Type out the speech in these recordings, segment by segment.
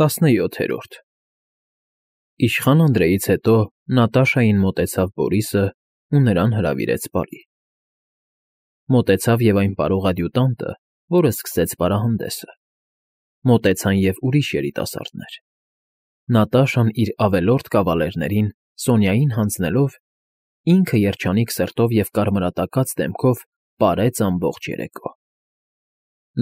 17-րդ Իշխան Անդրեից հետո Նատաշային մոտեցավ Բորիսն ու նրան հրավիրեց բարի. մոտեցավ և այն պարող ադյուտանտը, որը սկսեց պարահանդեսը. մոտեցան և ուրիշ երիտասարդներ. Նատաշան իր ավելորդ կավալերներին Սոնյային հանձնելով, ինքը երջանիկ սրտով և կարմրատակած դեմքով պարեց ամբողջ երեկո.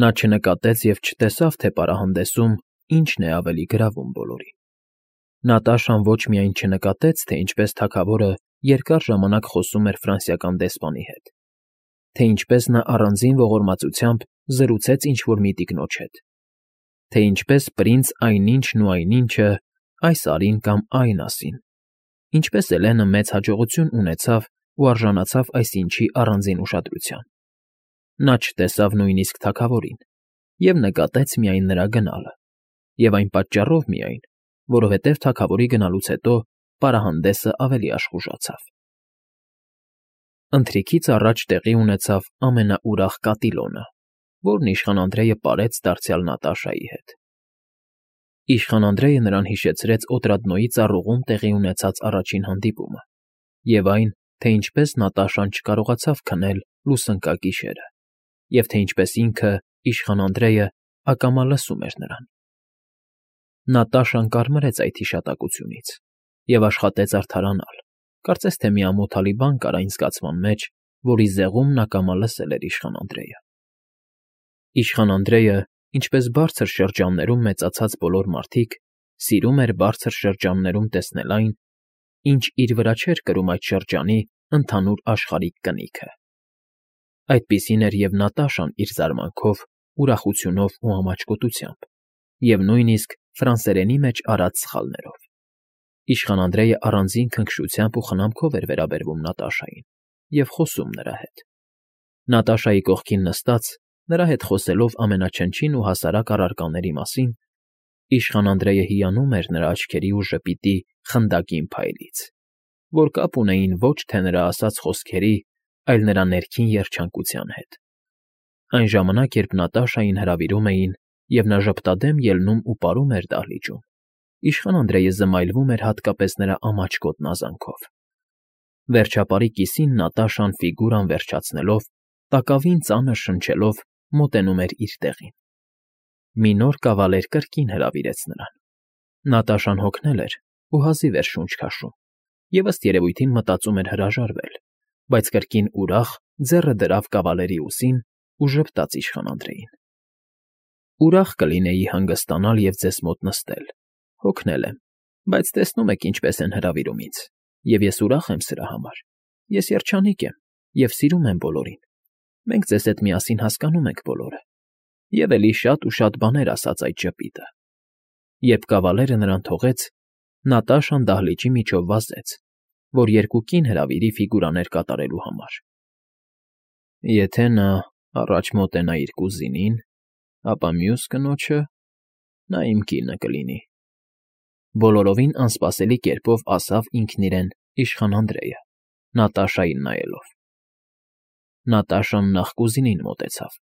նա չնկատեց և չտեսավ, թե պարահանդեսում ինչն է ավելի գրավում բոլորին. Նատաշան ոչ միայն չնկատեց, թե ինչպես թագավորը երկար ժամանակ խոսում էր ֆրանսիական դեսպանի հետ, թե ինչպես նա առանձին ողորմածությամբ զրուցեց ինչ֊որ մի տիկնոջ հետ, թե ինչպես պրինց այնինչն ու այնինչը այս արին կամ այն ասին, ինչպես Էլենը մեծ հաջողություն ունեցավ ու արժանացավ այսինչի առանձին ուշադրության. նա չտեսավ նույնիսկ թագավորին և նկատեց միայն նրա գնալը, և այն պատճառով միայն, որովհետև թագավորի գնալուց հետո պարահանդեսը ավելի աշխուժացավ. Ընթրիքից առաջ տեղի ունեցավ ամենաուրախ կատիլոնը, որն իշխան Անդրեյը պարեց դարձյալ Նատաշայի հետ. Իշխան Անդրեյը նրան հիշեցրեց Օտրադնոյի ծառուղում տեղի ունեցած առաջին հանդիպումը և այն, թե ինչպես Նատաշան չկարողացավ քնել լուսնկագիշերը և թե ինչպես ինքը, իշխան Անդրեյը, ակամա լսում էր նրան. Նատաշան կարմրեց այդ հիշատակությունից և աշխատեց արդարանալ, կարծես թե մի ամոթալի բան կար այն զգացման մեջ, որի զեղումն ակամա լսել էր իշխան Անդրեյը. Իշխան Անդրեյը, ինչպես բարձր շրջաններում մեծացած բոլոր մարդիկ, սիրում էր բարձր շրջաններում տեսնել այն, ինչ իր վրա չէր կրում այդ շրջանի ընդհանուր աշխարհիկ կնիքը. այդպիսին էր և Նատաշան իր զարմանքով, ուրախությունով ու ամաչկոտությամբ, և նույնիսկ ֆրանսերենի մեջ արած սխալներով. Իշխան Անդրեյը առանձին քնքշությամբ ու խնամքով էր վերաբերվում Նատաշային և խոսում նրա հետ. Նատաշայի կողքին նստած, նրա հետ խոսելով ամենաչնչին ու հասարակ առարկաների մասին, իշխան Անդրեյը հիանում էր նրա աչքերի ու ժպիտի խնդակին փայլից, որ կապ ունեին ոչ թե նրա ասած խոսքերի, այլ նրա ներքին երջանկության հետ. այն ժամանակ, երբ Նատաշային հրավիրում էին, և նա ժպտադեմ ելնում ու պարում էր դահլիճում, իշխան Անդրեյը զմայլվում էր հատկապես նրա ամաչկոտ նազանքով. Վերջապարի կիսին Նատաշան ֆիգուրան վերջացնելով, տակավին ծանր շնչելով, մոտենում էր իր տեղին. մի նոր կավալեր կրկին հրավիրեց նրան. Նատաշան հոգնել էր ու հազիվ էր շունչ քաշում և ըստ երևույթին մտածում էր հրաժարվել, բայց կրկին ուրախ ձեռը դրավ կավալերի ուսին ու ժպտաց իշխան Անդրեյին. Ուրախ կլինեի հանգստանալ և ձեզ մոտ նստել, հոգնել եմ, բայց տեսնում եք ինչպես են հրավիրում ինձ, և ես ուրախ եմ սրա համար, ես երջանիկ եմ և սիրում եմ բոլորին, մենք ձեզ հետ միասին հասկանում ենք բոլորը, և էլի շատ ու շատ բաներ ասաց այդ ժպիտը. Երբ կավալերը նրան թողեց, Նատաշան դահլիճի միջով վազեց, որ երկու կին հրավիրի ֆիգուրաներ կատարելու համար. եթե նա առաջ մոտենա իր կուզինին, ապա մյուս կնոջը նա իմ կինը կլինի, բոլորովին անսպասելի կերպով ասավ ինքն իրեն իշխան Անդրեյը, Նատաշային նայելով. Նատաշան նախ կուզինին մոտեցավ.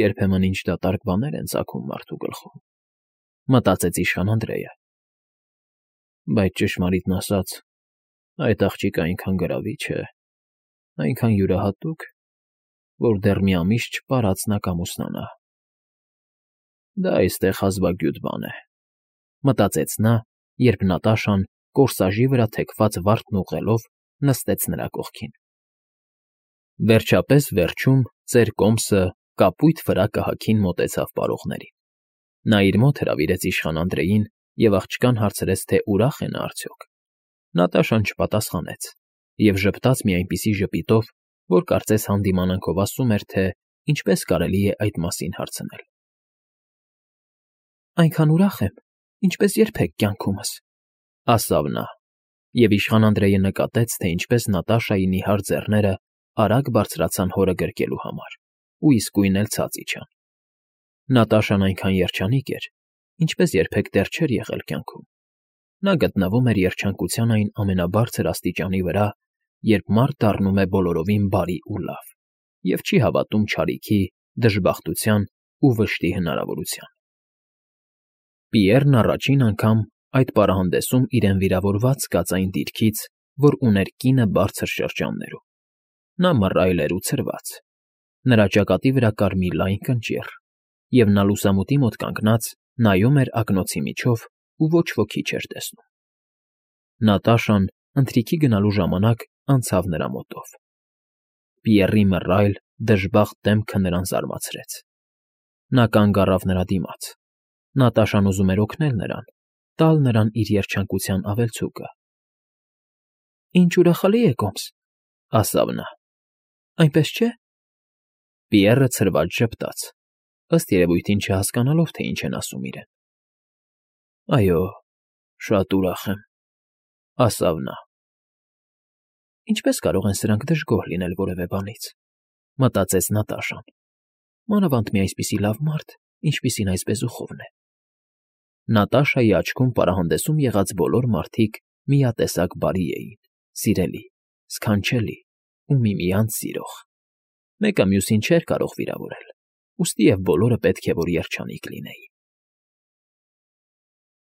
Երբեմն ինչ դատարկ բաներ են ծագում մարդու գլխում, մտածեց իշխան Անդրեյը, բայց ճշմարիտն ասած, այդ աղջիկը այնքան գրավիչ է, այնքան յուրահատուկ, որ դեռ մի ամիս չպարած նա կամուսնանա։ Դա այստեղ հազվագյուտ բան է, մտածեց նա, երբ Նատաշան, կորսաժի վրա թեքված վարդն ուղղելով, նստեց նրա կողքին. Վերջապես վերջում ծեր կոմսը կապույտ վրա֊կահաքին մոտեցավ պարողներին. նա իր մոտ հրավիրեց իշխան Անդրեյին և աղջկան հարցրեց, թե ուրախ է նա արդյոք. Նատաշան չպատասխանեց և ժպտաց մի այնպիսի ժպիտով, որ կարծես հանդիմանանքով ասում էր, թե ինչպես կարելի է այդ մասին հարցնել. Այնքան ուրախ եմ, ինչպես երբեք կյանքումս, ասավ նա, և իշխան Անդրեյը նկատեց, թե ինչպես Նատաշայի նիհար ձեռները արագ բարձրացան հորը գրկելու համար ու իսկույն էլ ցած իջան. Նատաշան այնքան երջանիկ էր, ինչպես երբեք դեռ չէր եղել կյանքում. նա գտնվում էր երջանկության այն ամենաբարձր աստիճանի վրա, երբ մարդ դառնում է բոլորովին բարի ու լավ և չի հավատում չարիքի, դժբախտության ու վշտի հնարավորության։ Պիեռն առաջին անգամ այդ պարահանդեսում իրեն վիրավորված զգաց այն դիրքից, որ ուներ կինը բարձր շրջաններում. նա մռայլ էր ու ցրված, նրա ճակատի վրա կար մի լայն կնճիռ, և նա լուսամուտի մոտ կանգնած նայում էր ակնոցի միջով ու ոչ ոքի չէր տեսնում։ Նատաշան ընթրիքի գնալու ժամանակ անցավ նրա մոտով։ Պիեռի մռայլ, դժբախտ դեմքը նրան զարմացրեց։ Նա կանգ առավ նրա դիմաց։ Նատաշան ուզում էր օգնել նրան, տալ նրան իր երջանկության ավելցուկը։ ֊ Ինչ ուրախալի է, Կոմս,֊ ասավ նա։ Այնպես չէ՞։ Պիեռը ցրված ժպտաց, ըստ երևույթին չհասկանալով, թե ինչ են ասում իրեն։ ֊ Այո, շատ ուրախ եմ,֊ ասավ նա։ Ինչպե՞ս կարող են սրանք դժգոհ լինել որևէ բանից,֊ մտածեց Նատաշան, մանավանդ մի այսպիսի լավ մարդ, ինչպիսին այս բեզուխովն է։ Նատաշայի աչքում պարահանդեսում եղած բոլոր մարդիկ միատեսակ բարի էին, սիրելի, սքանչելի ու միմյանց սիրող։ Մեկը մյուսին չէր կարող վիրավորել, ուստի և բոլորը պետք է որ երջանիկ լինեին։